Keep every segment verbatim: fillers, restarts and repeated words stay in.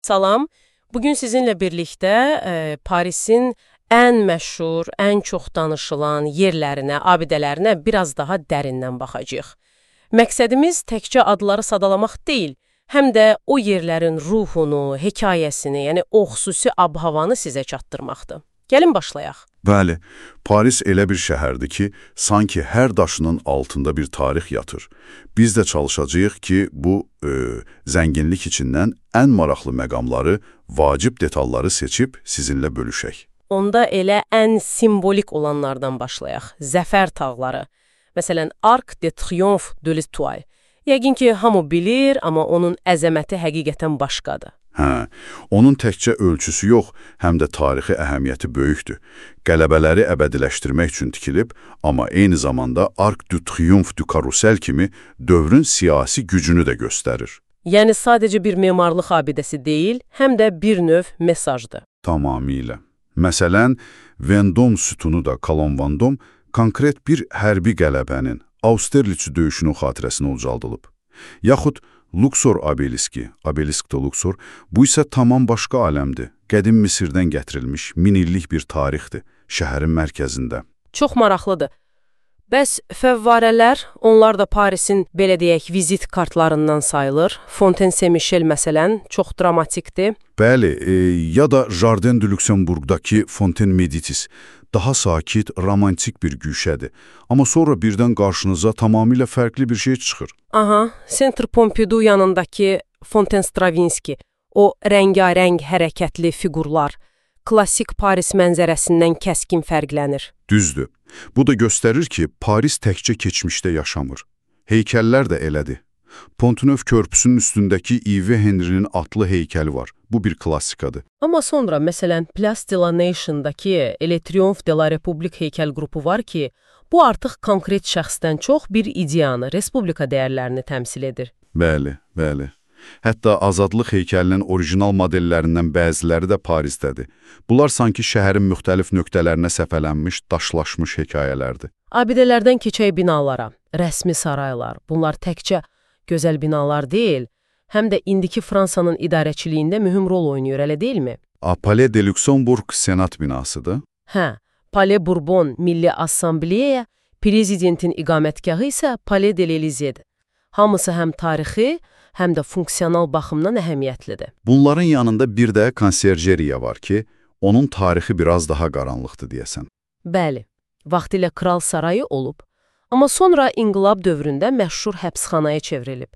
Salam, bugün sizinlə birlikdə e, Parisin ən məşhur, ən çox danışılan yerlərinə, abidələrinə biraz daha dərindən baxacağıq. Məqsədimiz təkcə adları sadalamaq deyil, həm də o yerlərin ruhunu, hekayəsini, yəni o xüsusi ab-havanı sizə çatdırmaqdır. Gəlin başlayaq. Bəli, Paris elə bir şəhərdir ki, sanki hər daşının altında bir tarix yatır. Biz də çalışacağıq ki, bu e, zənginlik içindən ən maraqlı məqamları, vacib detalları seçib sizinlə bölüşək. Onda elə ən simvolik olanlardan başlayaq. Zəfər tağları. Məsələn, Arc de Triomphe de l'Étoile. Yəqin ki, hamı bilir, amma onun əzəməti həqiqətən başqadır. Hə, onun təkcə ölçüsü yox, həm də tarixi əhəmiyyəti böyükdür. Qələbələri əbədiləşdirmək üçün tikilib, amma eyni zamanda Arc de Triomphe du Carrousel kimi dövrün siyasi gücünü də göstərir. Yəni sadəcə bir memarlıq abidəsi deyil, həm də bir növ mesajdır. Tamamilə. Məsələn, Vendôme sütunu da Calon Vendôme konkret bir hərbi qələbənin, Austerlitz döyüşünün xatirəsinə ucaldılıb. Yaxud Luxor obeliski, obelisk de Luxor, bu isə tamam başqa aləmdir. Qədim Misirdən gətirilmiş min illik bir tarixdir, şəhərin mərkəzində. Çox maraqlıdır. Bəs fəvvarələr, onlar da Parisin, belə deyək, vizit kartlarından sayılır. Fontaine Saint-Michel məsələn, çox dramatikdir. Bəli, e, ya da Jardin de Luxembourg'dakı Fontaine Medicis, daha sakit, romantik bir güşədir. Amma sonra birdən qarşınıza tamamilə fərqli bir şey çıxır. Aha, Centre Pompidou yanındakı Fontaine Stravinsky, o rəngarəng hərəkətli fiqurlar, klassik Paris mənzərəsindən kəskin fərqlənir. Düzdür. Bu da göstərir ki, Paris təkcə keçmişdə yaşamır. Heykəllər də elədir. Pont-Neuf körpüsünün üstündəki Yves Henry'nin atlı heykəli var. Bu bir klassikadır. Amma sonra, məsələn, Place de la Nation'dakı Le Triomphe de la République heykəl qrupu var ki, bu artıq konkret şəxsdən çox bir ideyanı, respublika dəyərlərini təmsil edir. Bəli, bəli. Hətta azadlıq heykəlinin orijinal modellərindən bəziləri də Parisdədir. Bunlar sanki şəhərin müxtəlif nöqtələrinə səpələnmiş, daşlaşmış hekayələrdir. Abidələrdən keçək binalara, rəsmi saraylar, bunlar təkcə gözəl binalar deyil, həm də indiki Fransanın idarəçiliyində mühüm rol oynayır, elə deyilmi? Palais de Luxembourg senat binasıdır. Hə, Palais Bourbon Milli Assambleya, prezidentin iqamətgahı isə Palais de l'Élysée-dir. Hamısı həm tarixi, həm də funksional baxımdan əhəmiyyətlidir. Bunların yanında bir də konserjeriya var ki, onun tarixi biraz daha qaranlıqdır deyəsən. Bəli, vaxtilə kral sarayı olub, amma sonra inqilab dövründə məşhur həbsxanaya çevrilib.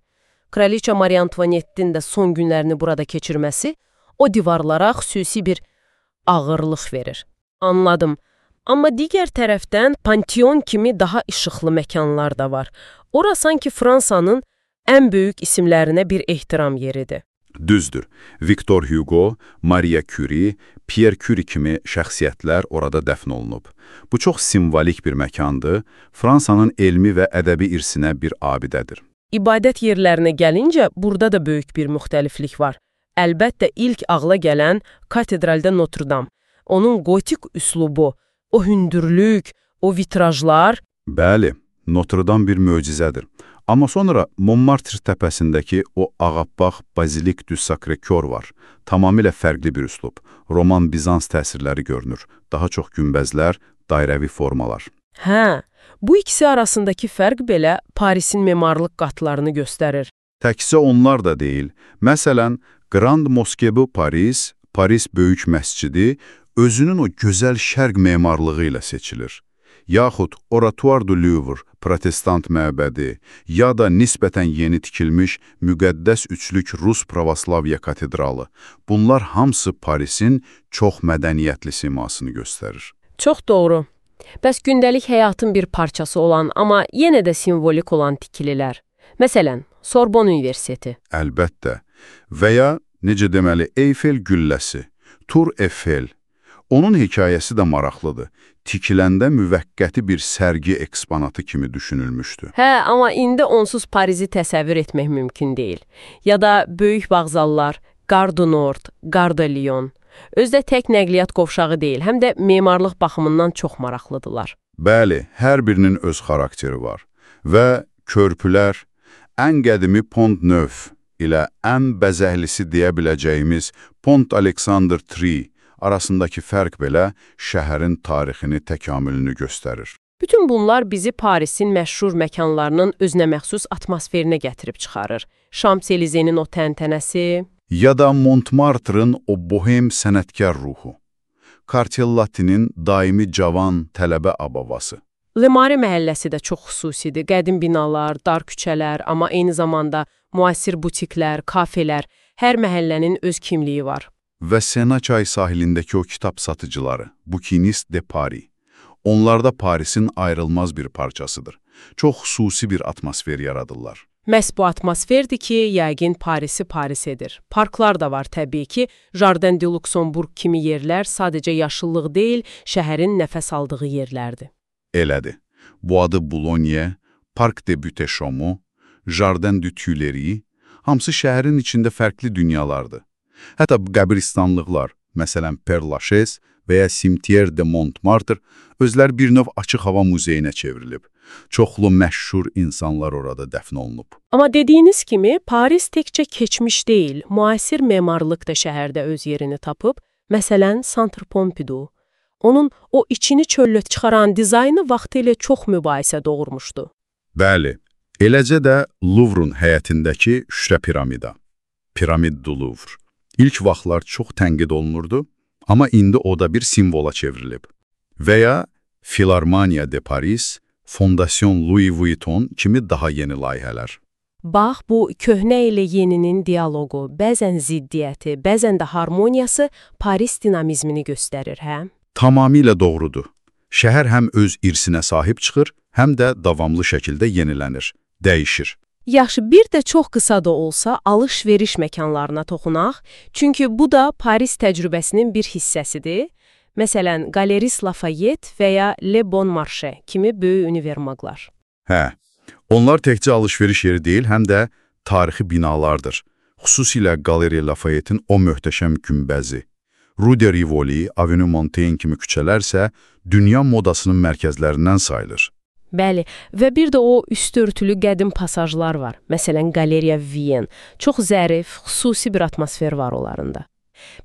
Kraliça Marie Antoinette'in də son günlərini burada keçirməsi o divarlara xüsusi bir ağırlıq verir. Anladım. Amma digər tərəfdən Pantheon kimi daha işıqlı məkanlar da var. Ora sanki Fransanın ən böyük isimlərinə bir ehtiram yeridir. Düzdür. Victor Hugo, Maria Curie, Pierre Curie kimi şəxsiyyətlər orada dəfn olunub. Bu çox simvolik bir məkandır, Fransanın elmi və ədəbi irsinə bir abidədir. İbadət yerlərinə gəlincə, burada da böyük bir müxtəliflik var. Əlbəttə, ilk ağla gələn katedralda Notre-Dame, onun gotik üslubu, o hündürlük, o vitrajlar... Bəli, Notre-Dame bir möcüzədir. Amma sonra Montmartre təpəsindəki o ağappaq Bazilik du Sacré-Cœur var. Tamamilə fərqli bir üslub. Roman-Bizans təsirləri görünür. Daha çox günbəzlər, dairəvi formalar. Hə, bu ikisi arasındakı fərq belə Parisin memarlıq qatlarını göstərir. Təkcə onlar da deyil. Məsələn, Grand Mosquée Paris, Paris Böyük Məscidi özünün o gözəl şərq memarlığı ilə seçilir. Yaxud Oratoire du Louvre, protestant məbədi, ya da nisbətən yeni tikilmiş müqəddəs üçlük Rus Pravoslavya katedralı. Bunlar hamısı Parisin çox mədəniyyətli simasını göstərir. Çox doğru. Bəs gündəlik həyatın bir parçası olan, amma yenə də simvolik olan tikililər. Məsələn, Sorbonne Universiteti. Əlbəttə. Və ya, necə deməli, Eyfel gülləsi, Tour Eiffel. Onun hekayəsi də maraqlıdır. Tikiləndə müvəqqəti bir sərgi eksponatı kimi düşünülmüşdü. Hə, amma indi onsuz Parizi təsəvvür etmək mümkün deyil. Ya da böyük vağzallar, Gare du Nord, Gare de Lyon. Özdə tək nəqliyyat qovşağı deyil, həm də memarlıq baxımından çox maraqlıdırlar. Bəli, hər birinin öz xarakteri var. Və körpülər, ən qədimi Pont-Neuf, ilə ən bəzəhlisi deyə biləcəyimiz Pont Alexander Tree arasındakı fərq belə şəhərin tarixini təkamülünü göstərir. Bütün bunlar bizi Parisin məşhur məkanlarının özünəməxsus atmosferinə gətirib çıxarır. Şams-Elizenin o təntənəsi, ya da Montmartre'ın o bohem sənətkar ruhu, Kartellatinin daimi cavan tələbə abavası. Le Marais məhəlləsi də çox xüsusidir. Qədim binalar, dar küçələr, amma eyni zamanda müasir butiklər, kafelər, hər məhəllənin öz kimliyi var. Və Sena çay sahilindəki o kitab satıcıları, Bouquiniste de Paris. Onlar da Parisin ayrılmaz bir parçasıdır. Çox xüsusi bir atmosfer yaradırlar. Məhz bu atmosferdir ki, yəqin Parisi Paris edir. Parklar da var təbii ki, Jardin de Luxembourg kimi yerlər sadəcə yaşıllıq deyil, şəhərin nəfəs aldığı yerlərdir. Elədir. Bu adı Boulogne, Parc de Butte-Chaumont, Jardin de Tuileries, hamısı şəhərin içində fərqli dünyalardır. Hətta qəbristanlıqlar, məsələn Père Lachaise və ya Cimetière de Montmartre, özlər bir növ açıq hava muzeyinə çevrilib. Çoxlu məşhur insanlar orada dəfn olunub. Amma dediyiniz kimi, Paris təkcə keçmiş deyil, müasir memarlıq da şəhərdə öz yerini tapıb. Məsələn, Centre Pompidou. Onun o içini çöllə çıxaran dizaynı vaxtilə çox mübahisə doğurmuşdu. Bəli, eləcə də Louvre-un həyətindəki Şüşə piramida, Piramide du Louvre. İlk vaxtlar çox tənqid olunurdu, amma indi o da bir simvola çevrilib. Və ya Philharmonia de Paris, Fondation Louis Vuitton kimi daha yeni layihələr. Bax, bu köhnə ilə yeninin dialoqu, bəzən ziddiyyəti, bəzən də harmoniyası Paris dinamizmini göstərir, hə? Tamamilə doğrudur. Şəhər həm öz irsinə sahib çıxır, həm də davamlı şəkildə yenilənir, dəyişir. Yaxşı, bir də çox qısa da olsa alış-veriş məkanlarına toxunaq, çünki bu da Paris təcrübəsinin bir hissəsidir. Məsələn, Galeries Lafayette və ya Le Bon Marché kimi böyük univermaqlar. Hə, onlar təkcə alış-veriş yeri deyil, həm də tarixi binalardır. Xüsusilə Galeries Lafayette'in o möhtəşəm günbəzi. Rue de Rivoli, Avenue Montaigne kimi küçələr isə dünya modasının mərkəzlərindən sayılır. Bəli, və bir də o üstörtülü qədim pasajlar var. Məsələn, Galeriya Vienne. Çox zərif, xüsusi bir atmosfer var onlarında.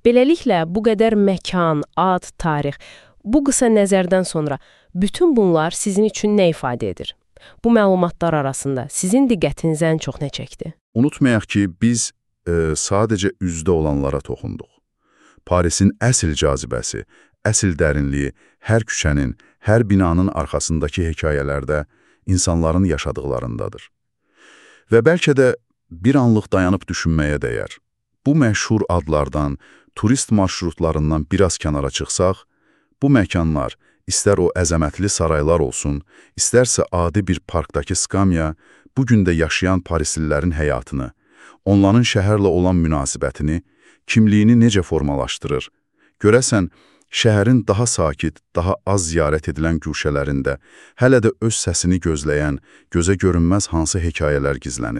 Beləliklə, bu qədər məkan, ad, tarix, bu qısa nəzərdən sonra bütün bunlar sizin üçün nə ifadə edir? Bu məlumatlar arasında sizin diqqətinizi ən çox nə çəkdi? Unutmayaq ki, biz e, sadəcə üzdə olanlara toxunduq. Parisin əsl cazibəsi, əsl dərinliyi hər küçənin, hər binanın arxasındakı hekayələrdə insanların yaşadıqlarındadır. Və bəlkə də bir anlıq dayanıb düşünməyə dəyər. Bu məşhur adlardan, turist marşrutlarından biraz kənara çıxsaq, bu məkanlar, istər o əzəmətli saraylar olsun, istərsə adi bir parkdakı skamya, bugün də yaşayan parislilərin həyatını, onların şəhərlə olan münasibətini, kimliyini necə formalaşdırır? Görəsən, şəhərin daha sakit, daha az ziyarət edilən güşələrində hələ də öz səsini gözləyən, gözə görünməz hansı hekayələr gizlənir?